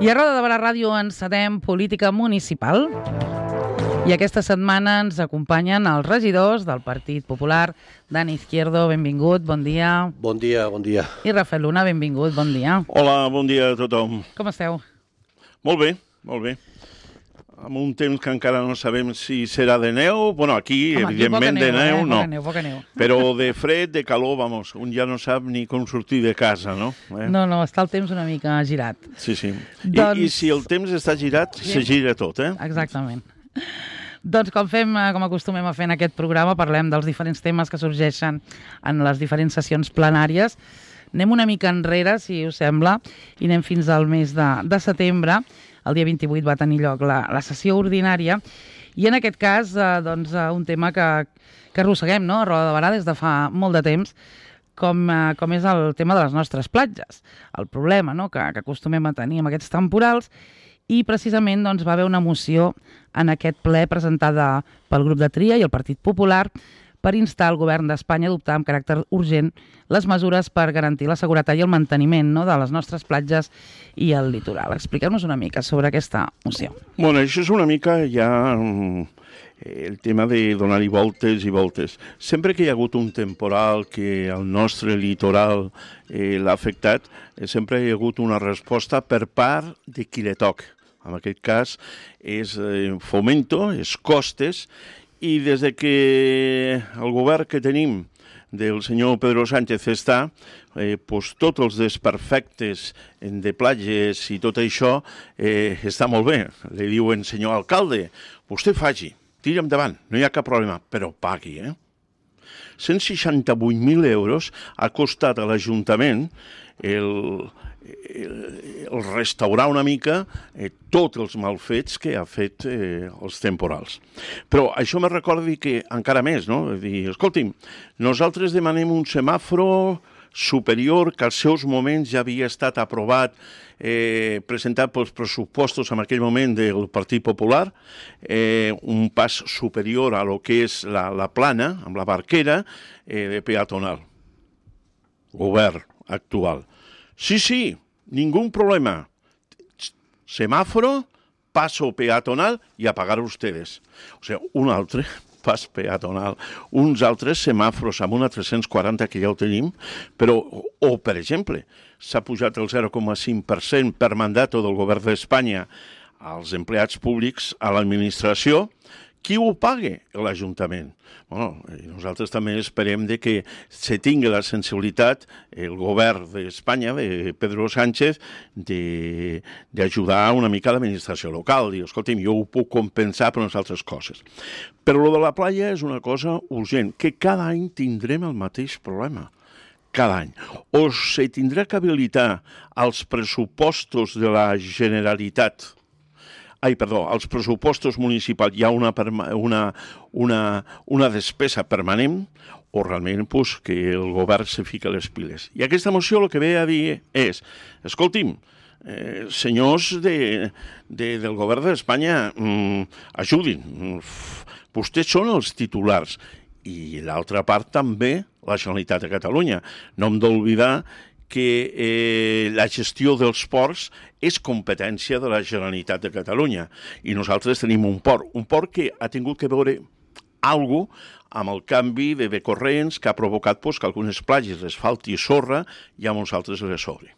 I a Roda de Barà Ràdio encetem política municipal. I aquesta setmana ens acompanyen els regidors del Partit Popular. Dani Izquierdo, benvingut, bon dia. Bon dia, bon dia. I Rafael Luna, benvingut, bon dia. Hola, bon dia a tothom. Com esteu? Molt bé, molt bé. Amb un temps que encara no sabem si serà de neu. Bueno, aquí, evidentment, de neu, no. Poca neu. Però de fred, de calor, vamos, un ja no sap ni com sortir de casa, no? No, està el temps una mica girat. Sí. Doncs... I si el temps està girat, se gira tot, Exactament. Doncs com acostumem a fer en aquest programa, parlem dels diferents temes que sorgeixen en les diferents sessions plenàries. Anem una mica enrere, si us sembla, i anem fins al mes de setembre. El dia 28 va tenir lloc la sessió ordinària i en aquest cas un tema que arrosseguem, no? A Roda de Barà des de fa molt de temps, com és el tema de les nostres platges. El problema, no?, que acostumem a tenir amb aquests temporals. I precisament va haver una moció en aquest ple presentada pel grup de Tria i el Partit Popular per instar el govern d'Espanya a adoptar amb caràcter urgent les mesures per garantir la seguretat i el manteniment, no?, de les nostres platges i el litoral. Expliqueu-nos una mica sobre aquesta moció. Bueno, això és una mica ja el tema de donar-hi voltes i voltes. Sempre que hi ha hagut un temporal que el nostre litoral l'ha afectat, sempre hi ha hagut una resposta per part de qui li toca. En aquest cas és Fomento, és Costes, i des de que el govern que tenim del senyor Pedro Sánchez està, tots els desperfectes de platges i tot això està molt bé. Li diuen, senyor alcalde, vostè faci, tira endavant, no hi ha cap problema, però pagui, 168.000 euros ha costat a l'Ajuntament el restaurar una mica tots els malfets que ha fet els temporals. Però això me recorda que encara més, no? Dir, escolti'm, nosaltres demanem un semàforo superior que als seus moments ja havia estat aprovat, presentat pels pressupostos en aquell moment del Partit Popular, un pas superior a lo que és la plana, amb la barquera, de peatonal. Govern actual. Sí, ningú problema. Semáforo, paso peatonal y a pagar ustedes. O sea, un altre pas peatonal, uns altres semàfors amb una 340 que ja ho tenim, però, per exemple, s'ha pujat el 0,5% per mandat del govern d'Espanya als empleats públics, a l'administració. Qui ho paga? L'Ajuntament. Bueno, nosaltres també esperem que se tingui la sensibilitat, el govern d'Espanya, de Pedro Sánchez, d'ajudar una mica a l'administració local. Dir, escolti'm, jo ho puc compensar per unes altres coses. Però lo de la playa és una cosa urgent, que cada any tindrem el mateix problema. Cada any. O se tindrà que habilitar als pressupostos de la Generalitat, als pressupostos municipals hi ha una despesa permanent o realment que el govern se fica les piles. I aquesta moció el que ve a dir és, escolti'm, senyors del govern d'Espanya, ajudin, vostès són els titulars i l'altra part també la Generalitat de Catalunya. No hem d'oblidar que la gestió dels ports és competència de la Generalitat de Catalunya i nosaltres tenim un port que ha tingut que veure alguna cosa amb el canvi de corrents que ha provocat que algunes platges les falti sorra i a uns altres les sobre.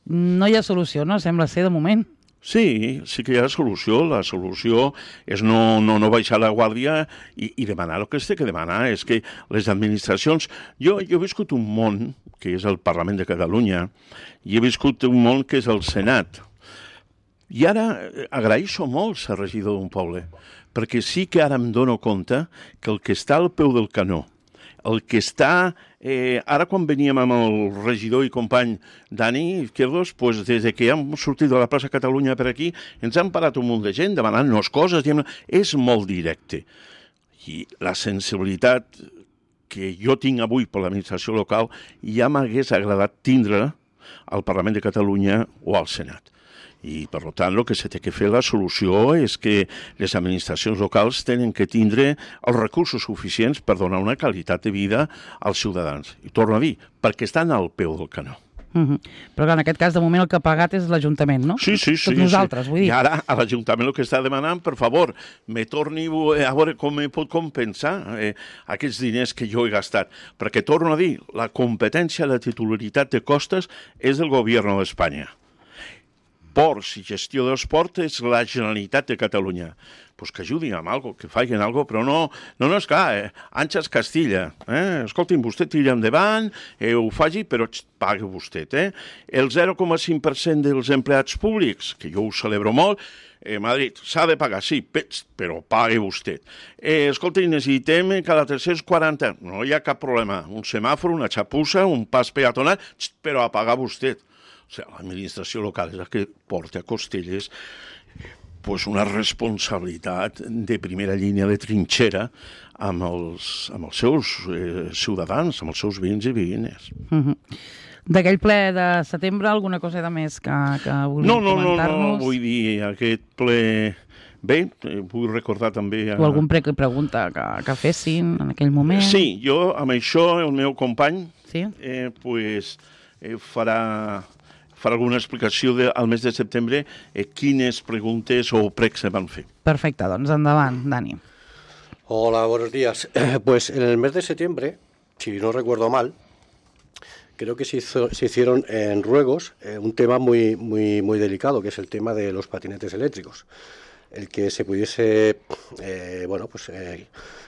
No hi ha solució, no? Sembla ser de moment. Sí que hi ha solució. La solució és no baixar la guàrdia i demanar el que es té que demanar. És que les administracions... Jo he viscut un món, que és el Parlament de Catalunya, i he viscut un món que és el Senat. I ara agraeixo molt ser regidor d'un poble, perquè sí que ara em dono compte que el que està al peu del canó, el que està... Ara quan veníem amb el regidor i company Dani Izquierdos, des que hem sortit de la plaça Catalunya per aquí, ens han parat un munt de gent demanant-nos coses, és molt directe. I la sensibilitat que jo tinc avui per l'administració local ja m'hagués agradat tindre al Parlament de Catalunya o al Senat. I, per tant, el que s'ha de fer la solució és que les administracions locals tenen que tindre els recursos suficients per donar una qualitat de vida als ciutadans. I torno a dir, perquè estan al peu del canó. Però clar, en aquest cas, de moment, el que ha pagat és l'Ajuntament, no? Sí. Tots nosaltres, vull dir. I ara a l'Ajuntament el que està demanant, per favor, me torni a veure com me pot compensar aquests diners que jo he gastat. Perquè, torno a dir, la competència, la titularitat de costes és del govern d'Espanya. Ports i gestió dels ports és la Generalitat de Catalunya. Pues que ajudin amb alguna cosa, que facin alguna cosa, però no, és clar, Àngels Castilla, escolti'm, vostè tira endavant, ho faci, però pagui vostè, El 0,5% dels empleats públics, que jo ho celebro molt, Madrid, s'ha de pagar, sí, però pagui vostè. Escolti, necessitem cada 340, no hi ha cap problema, un semàfor, una xapussa, un pas peatonal, però a pagar vostè. O sigui, l'administració local és la que porta a costelles pues una responsabilitat de primera línia de trinxera amb els seus ciutadans, amb els seus veïns i veïnes. D'aquell ple de setembre, alguna cosa de més que volíem comentar-nos? No, vull dir, aquest ple... Bé, vull recordar també... O algun pregunta que fessin en aquell moment? Sí, jo amb això, el meu company, farà alguna explicació al mes de setembre quines preguntes o pregs se van fer. Perfecte, doncs endavant, Dani. Hola, buenos días. Pues en el mes de septiembre, si no recuerdo mal, creo que se hicieron en Ruegos un tema muy, muy, muy delicado, que es el tema de los patinetes eléctricos. El que se pudiese,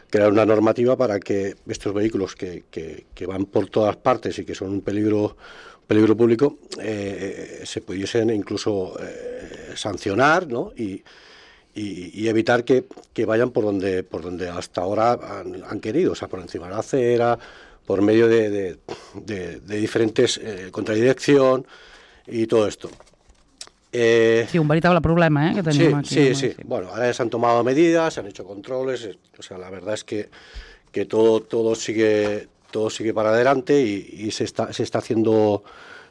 crear una normativa para que estos vehículos que van por todas partes y que son un peligro público, se pudiesen incluso sancionar, ¿no? y evitar que vayan por donde hasta ahora han querido, o sea, por encima de la acera, por medio de diferentes contradirección y todo esto. Sí, un veritable problema que tenim aquí. Sí. Bueno, ahora se han tomado medidas, se han hecho controles, o sea, la verdad es que todo sigue para adelante y se está haciendo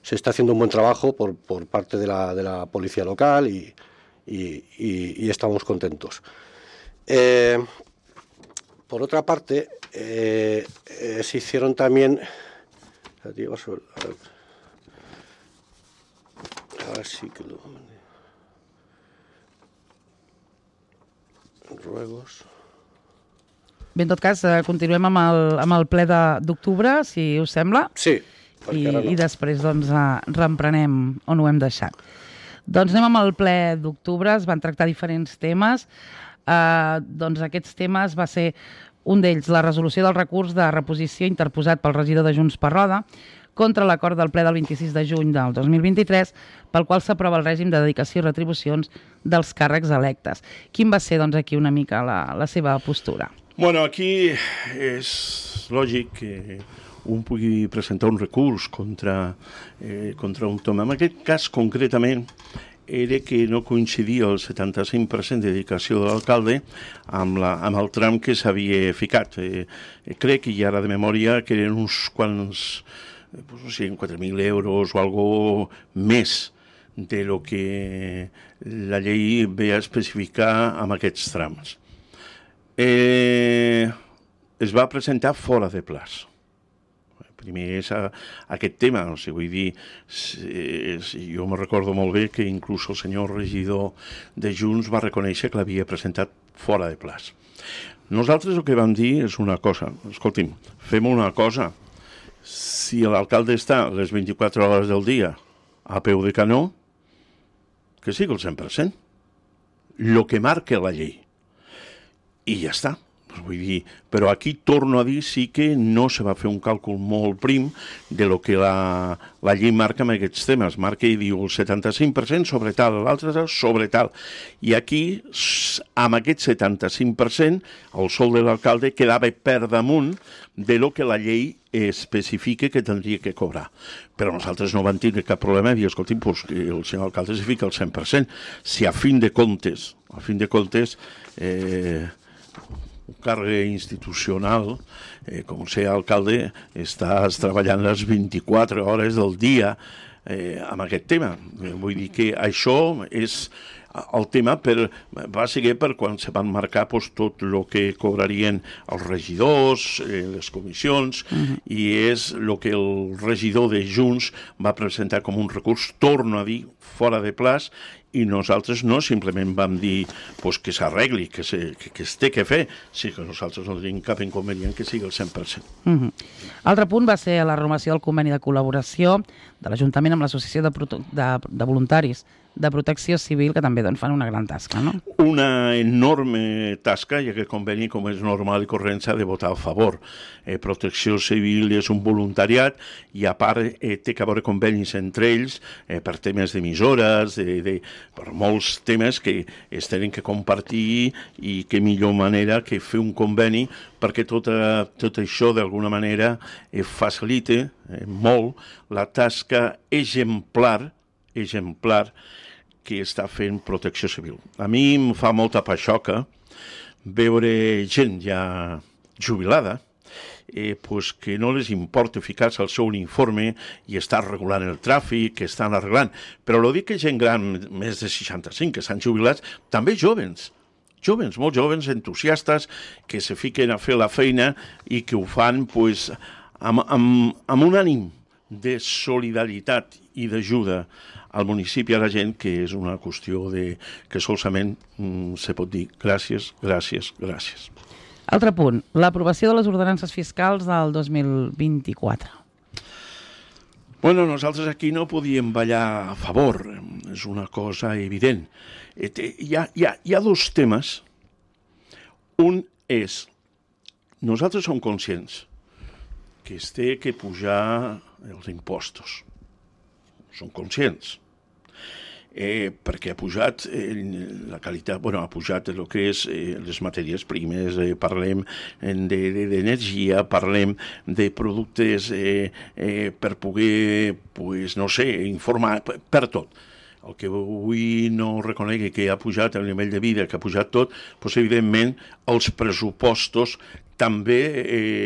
un buen trabajo por parte de la policía local y estamos contentos. Por otra parte, se hicieron también... Ahora sí que lo... Ruegos... Bé, en tot cas, continuem amb el ple d'octubre, si us sembla. Sí. I després doncs, reemprenem on ho hem deixat. Doncs anem amb el ple d'octubre, es van tractar diferents temes. Doncs aquests temes va ser un d'ells, la resolució del recurs de reposició interposat pel regidor de Junts per Roda contra l'acord del ple del 26 de juny del 2023, pel qual s'aprova el règim de dedicació i retribucions dels càrrecs electes. Quin va ser, doncs, aquí una mica la seva postura? Bueno, aquí és lògic que un pugui presentar un recurs contra un tema. En aquest cas, concretament, era que no coincidia el 75% de dedicació de l'alcalde amb el tram que s'havia ficat. Crec, i ara de memòria, que eren uns quants, no sé, 4.000 euros o algo més de lo que la llei ve a especificar amb aquests trams. Es va presentar fora de plaç. Primer és aquest tema, o sigui, vull dir, jo me recordo molt bé que inclús el senyor regidor de Junts va reconèixer que l'havia presentat fora de plaç. Nosaltres el que vam dir és una cosa, escolti'm, fem una cosa, si l'alcalde està les 24 hores del dia a peu de canó, que sigui el 100%, el que marca la llei. I ja està. Vull dir, però aquí torno a dir sí que no se va fer un càlcul molt prim de lo que la llei marca amb aquests temes. Marca i diu el 75% sobre tal, l'altre sobre tal. I aquí, amb aquest 75%, el sou de l'alcalde quedava per damunt de lo que la llei especifica que tindria que cobrar. Però nosaltres no vam tindre cap problema i dir, escolti, pues, el senyor alcalde se fica el 100%. Si a fin de comptes, un càrrec institucional, com ser alcalde, estàs treballant les 24 hores del dia amb aquest tema. Vull dir que això és el tema va ser per quan se van marcar tot el que cobrarien els regidors, les comissions, i és el que el regidor de Junts va presentar com un recurs, torno a dir, fora de plaç, i nosaltres no simplement vam dir que s'arregli, que es té que fer, sí que nosaltres no tenim cap inconvenient que sigui el 100%. Altre punt va ser la renovació del conveni de col·laboració de l'Ajuntament amb l'Associació de Voluntaris de Protecció Civil, que també fan una gran tasca, no? Una enorme tasca, i aquest conveni, com és normal i corrent, s'ha de votar a favor. Protecció Civil és un voluntariat i, a part, té que haver convenis entre ells per temes d'emissores, per molts temes que es tenen que compartir, i que millor manera que fer un conveni perquè tot això, d'alguna manera, facilita molt la tasca exemplar que està fent Protecció Civil. A mi em fa molta paixoca veure gent ja jubilada que no les importa ficar-se al seu uniforme i estar regulant el tràfic, que estan arreglant. Però no dic que gent gran, més de 65, que estan jubilats, també jovens, molt jovens, entusiastes, que se fiquen a fer la feina i que ho fan amb un ànim de solidaritat i d'ajuda al municipi, a la gent, que és una qüestió que solament se pot dir gràcies, gràcies, gràcies. Altre punt, l'aprovació de les ordenances fiscals del 2024. Nosaltres aquí no podíem ballar a favor, és una cosa evident. Hi ha dos temes. Un és, nosaltres som conscients que es té que pujar els impostos. Som conscients. Perquè ha pujat la qualitat, ha pujat el que és les matèries primes, parlem d'energia, parlem de productes per poder, informar, per tot. El que avui no reconegui que ha pujat el nivell de vida, que ha pujat tot, evidentment els pressupostos també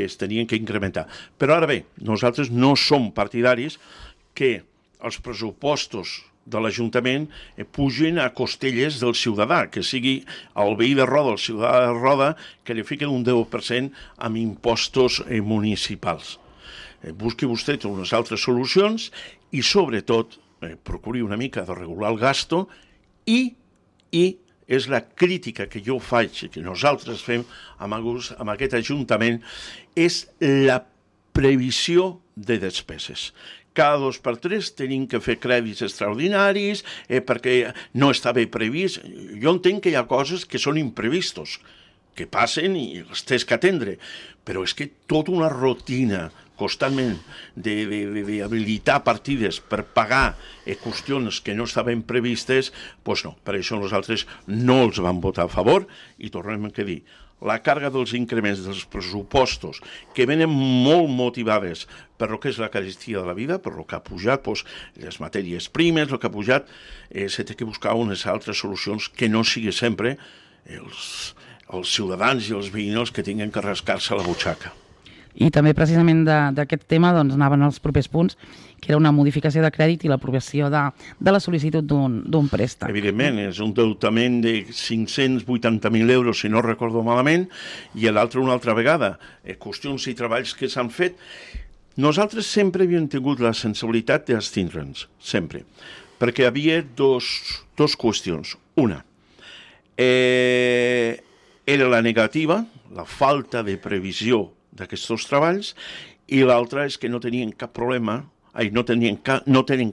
es tenien que incrementar. Però ara bé, nosaltres no som partidaris que els pressupostos de l'Ajuntament pugin a costelles del ciutadà, que sigui el veí de Roda, el ciutadà de Roda, que li fiquen un 10% amb impostos municipals. Busqui vostè unes altres solucions i, sobretot, procuri una mica de regular el gasto i és la crítica que jo faig i que nosaltres fem amb aquest Ajuntament, és la previsió de despeses. Cada 2 per 3 tenim que fer crèdits extraordinaris perquè no està bé previst. Jo entenc que hi ha coses que són imprevistos, que passen i les tens que atendre, però és que tota una rutina constantment d'habilitar partides per pagar qüestions que no estaven previstes, doncs no, per això nosaltres no els vam votar a favor i tornem a dir, la càrrega dels increments dels pressupostos que venen molt motivades per el que és la carestia de la vida, per el que ha pujat les matèries primes, el que ha pujat, s'ha de buscar unes altres solucions que no sigui sempre els ciutadans i els veïns que tinguin que rascar-se la butxaca. I també precisament d'aquest tema anaven els propers punts, que era una modificació de crèdit i l'aprovació de la sol·licitud d'un préstec. Evidentment, és un deutament de 580.000 euros, si no recordo malament, i l'altre una altra vegada. Qüestions i treballs que s'han fet. Nosaltres sempre havíem tingut la sensibilitat d'abstindre'ns, sempre, perquè hi havia dos qüestions. Una, era la negativa, la falta de previsió d'aquests treballs, i l'altra és que no tenien cap problema, no tenen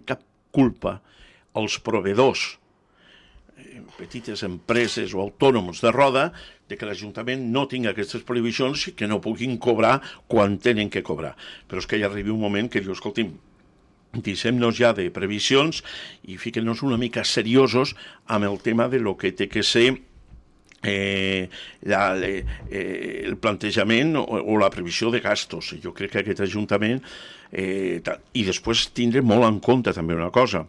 cap culpa els proveïdors, petites empreses o autònoms de Roda, de que l'Ajuntament no tingui aquestes previsions i que no puguin cobrar quan tenen que cobrar. Però és que hi arriba un moment que diu, escolti'm, deixem-nos ja de previsions i fiquem-nos una mica seriosos amb el tema de lo que té que ser el plantejament o la previsió de gastos. Jo crec que aquest Ajuntament i després tindre molt en compte també una cosa,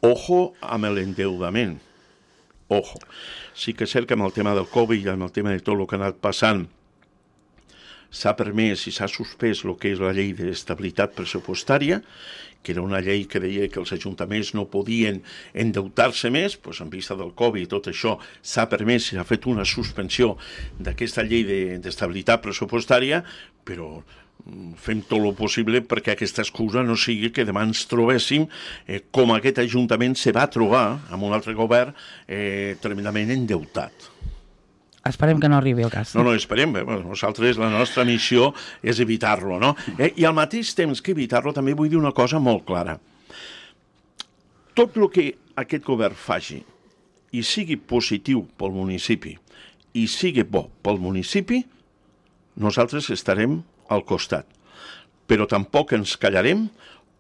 ojo amb l'endeudament, ojo. Sí que és cert que amb el tema del Covid i amb el tema de tot el que ha anat passant s'ha permès i s'ha suspès el que és la llei d'estabilitat pressupostària, que era una llei que deia que els ajuntaments no podien endeutar-se més, doncs en vista del Covid i tot això s'ha permès i s'ha fet una suspensió d'aquesta llei d'estabilitat pressupostària, però fem tot el possible perquè aquesta excusa no sigui que demà ens trobéssim com aquest ajuntament se va trobar amb un altre govern tremendament endeutat. Esperem que no arribi el cas. No, esperem. Nosaltres, la nostra missió és evitar-lo, no? I al mateix temps que evitar-lo també vull dir una cosa molt clara. Tot el que aquest govern faci i sigui positiu pel municipi i sigui bo pel municipi, nosaltres estarem al costat. Però tampoc ens callarem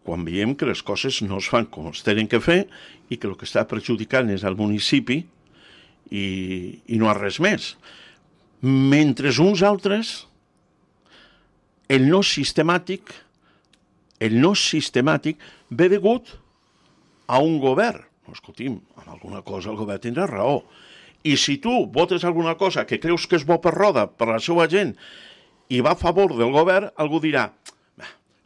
quan veiem que les coses no es fan com es tenen que fer i que el que està perjudicant és el municipi i no res més. Mentre uns altres, el no sistemàtic ve degut a un govern. Escolti'm, en alguna cosa el govern tindrà raó. I si tu votes alguna cosa que creus que és bo per Roda, per la seva gent, i va a favor del govern, algú dirà,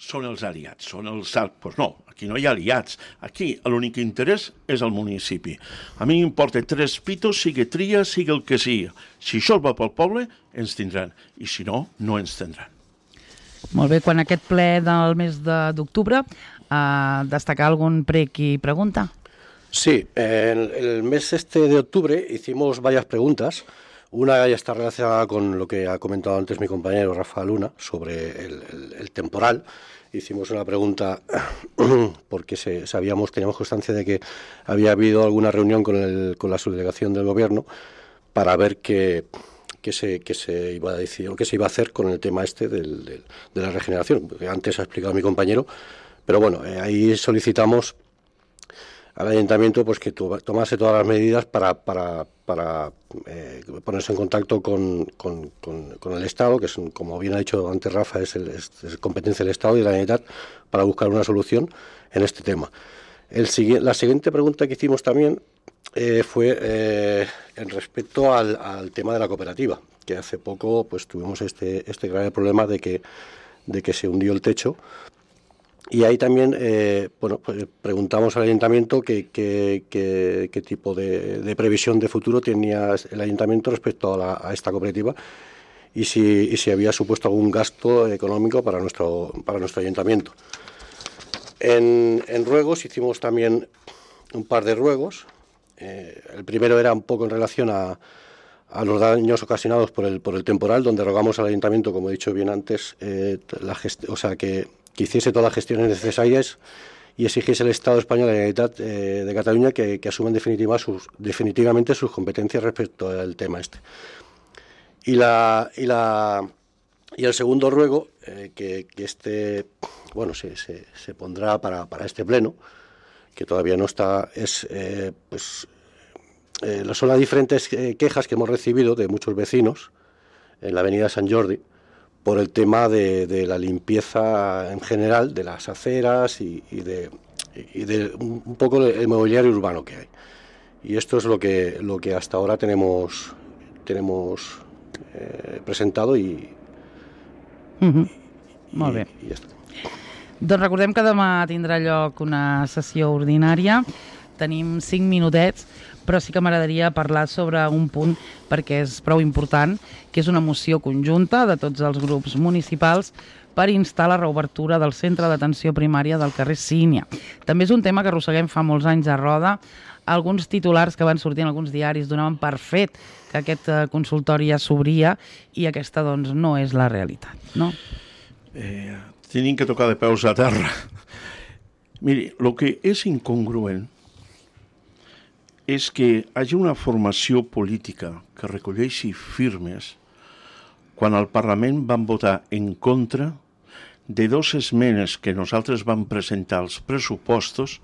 són els aliats, són els... Doncs no, aquí no hi ha aliats. Aquí l'únic interès és el municipi. A mi m'importa 3 pitos, sigui tria, sigui el que sigui. Si això va pel poble, ens tindran. I si no, no ens tindran. Molt bé, quan aquest ple del mes d'octubre, destacar algun prec i pregunta? Sí, en el mes de octubre hicimos varias preguntas. Una ya está relacionada con lo que ha comentado antes mi compañero Rafa Luna sobre el temporal. Hicimos una pregunta porque teníamos constancia de que había habido alguna reunión con la subdelegación del gobierno para ver qué se iba a decir o qué se iba a hacer con el tema de la regeneración. Porque antes ha explicado mi compañero, pero bueno, ahí solicitamos al ayuntamiento pues que tomase todas las medidas para ponerse en contacto con el Estado, que es, como bien ha dicho antes Rafa, es competencia del Estado y de la Generalitat, para buscar una solución en este tema. La siguiente pregunta que hicimos también fue en respecto al tema de la cooperativa, que hace poco pues tuvimos este grave problema de que se hundió el techo. Y ahí también pues preguntamos al ayuntamiento qué tipo de previsión de futuro tenía el ayuntamiento respecto a esta cooperativa y si había supuesto algún gasto económico para nuestro ayuntamiento. En ruegos hicimos también un par de ruegos. El primero era un poco en relación a los daños ocasionados por el temporal, donde rogamos al ayuntamiento, como he dicho bien antes, que hiciese todas las gestiones necesarias y exigiese al Estado español y a la Generalitat de Cataluña que asuman definitivamente sus competencias respecto al tema este. Y el segundo ruego, que se pondrá para este pleno, que todavía no está, son las diferentes quejas que hemos recibido de muchos vecinos en la avenida Sant Jordi, por el tema de la limpieza en general de las aceras y de un poco el mobiliario urbano que hay. Y esto es lo que hasta ahora tenemos presentado i Molt bé. I ja està. Doncs recordem que demà tindrà lloc una sessió ordinària. Tenim 5 minutets, però sí que m'agradaria parlar sobre un punt perquè és prou important, que és una moció conjunta de tots els grups municipals per instar la reobertura del centre d'atenció primària del carrer Sínia. També és un tema que arrosseguem fa molts anys a Roda. Alguns titulars que van sortir en alguns diaris donaven per fet que aquest consultori ja s'obria i aquesta doncs no és la realitat, no? Tenim que tocar de peus a terra. Miri, el que és incongruent és que hi hagi una formació política que recolleixi firmes quan al Parlament van votar en contra de 2 esmenes que nosaltres vam presentar als pressupostos.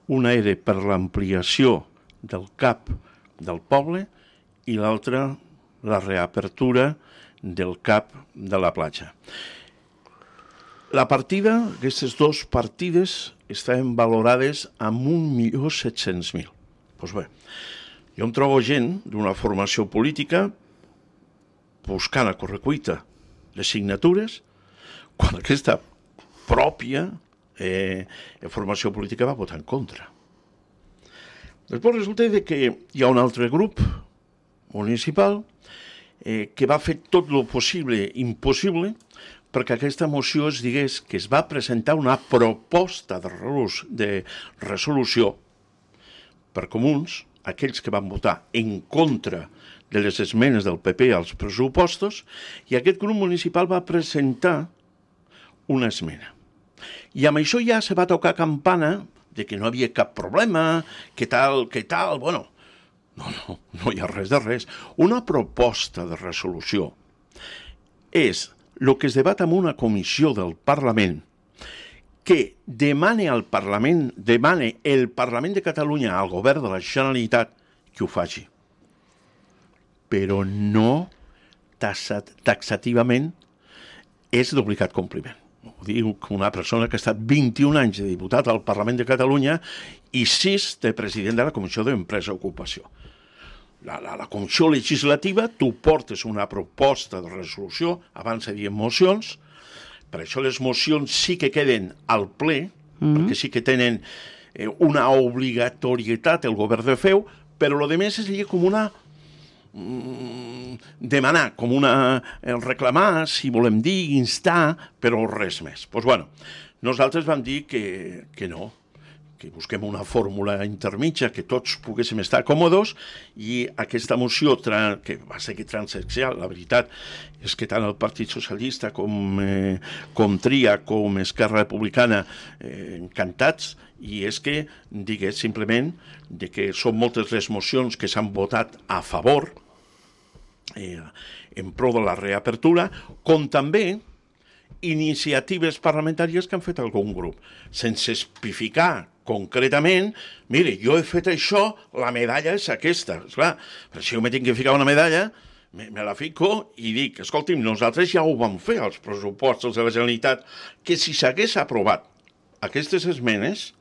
Una era per l'ampliació del CAP del poble i l'altra la reapertura del CAP de la platja. La partida, aquestes 2 partides, estaven valorades amb 1.700.000. Doncs bé, jo em trobo gent d'una formació política buscant a correcuita les signatures quan aquesta pròpia formació política va votar en contra. Després resulta que hi ha un altre grup municipal que va fer tot el possible i impossible perquè aquesta moció es digués que es va presentar una proposta de resolució per comuns, aquells que van votar en contra de les esmenes del PP als pressupostos, i aquest grup municipal va presentar una esmena. I amb això ja se va tocar campana de que no havia cap problema, que tal, bueno, no hi ha res de res. Una proposta de resolució és el que es debat en una comissió del Parlament que demane el Parlament de Catalunya al govern de la Generalitat que ho faci. Però no taxativament és d'obligat compliment. Ho diu una persona que ha estat 21 anys de diputat al Parlament de Catalunya i 6 de president de la Comissió d'Empresa i Ocupació. La Comissió Legislativa, tu portes una proposta de resolució, abans se diuen mocions, per això les mocions sí que queden al ple, perquè sí que tenen una obligatorietat el govern de fer, però el que més seria com una demanar, com una reclamar, si volem dir, instar, però res més. Doncs bueno, nosaltres vam dir que no, que busquem una fórmula intermitja, que tots poguéssim estar còmodes, i aquesta moció, que va ser transaccional, la veritat és que tant el Partit Socialista com Tria, com Esquerra Republicana, encantats, i és que digués simplement que són moltes les mocions que s'han votat a favor en pro de la reapertura, com també iniciatives parlamentàries que han fet algun grup, sense especificar concretament, mire, jo he fet això, la medalla és aquesta. Esclar, però si jo me tinc que ficar una medalla, me la fico i dic, escolti'm, nosaltres ja ho vam fer als pressupostos de la Generalitat, que si s'hagués aprovat aquestes esmenes,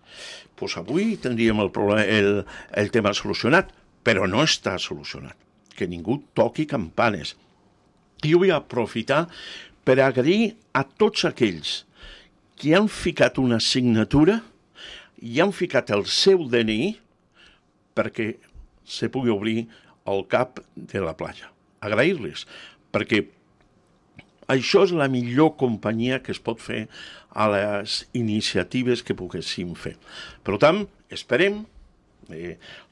doncs avui tindríem el tema solucionat, però no està solucionat. Que ningú toqui campanes. I jo vull aprofitar per agrair a tots aquells que han ficat una signatura i han ficat el seu DNI perquè se pugui obrir el cap de la platja. Agrair-los, perquè això és la millor companyia que es pot fer a les iniciatives que poguéssim fer. Per tant, esperem,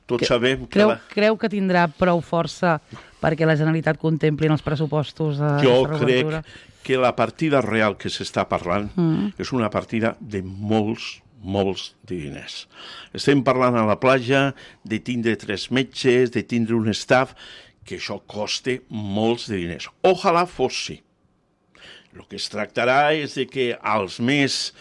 tots sabem que... Creu que tindrà prou força perquè la Generalitat contempli en els pressupostos jo crec que la partida real que s'està parlant és una partida de molts de diners. Estem parlant a la platja de tindre 3 metges, de tindre un staff, que això costa molts de diners. Ojalà fos sí. El que es tractarà és de que als mesos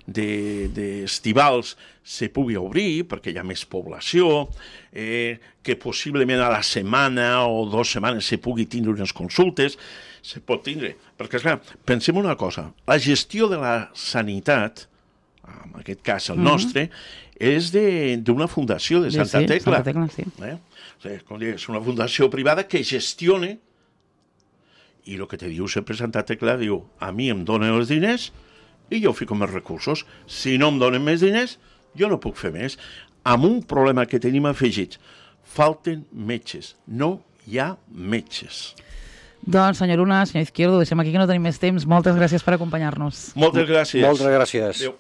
d'estivals se pugui obrir, perquè hi ha més població, que possiblement a la setmana o 2 setmanes se pugui tindre unes consultes, se pot tindre. Perquè, esclar, pensem una cosa, la gestió de la sanitat, en aquest cas el nostre, és d'una fundació de Santa Tecla. Santa Tecla, sí. O sigui, com dic, és una fundació privada que gestiona, i el que te diu sempre Santa Tecla, diu, a mi em donen els diners i jo fico més recursos. Si no em donen més diners, jo no puc fer més. Amb un problema que tenim afegit, falten metges, no hi ha metges. Doncs, senyor Luna, senyor Izquierdo, deixem aquí que no tenim més temps. Moltes gràcies per acompanyar-nos. Moltes gràcies. Moltes gràcies. Adéu.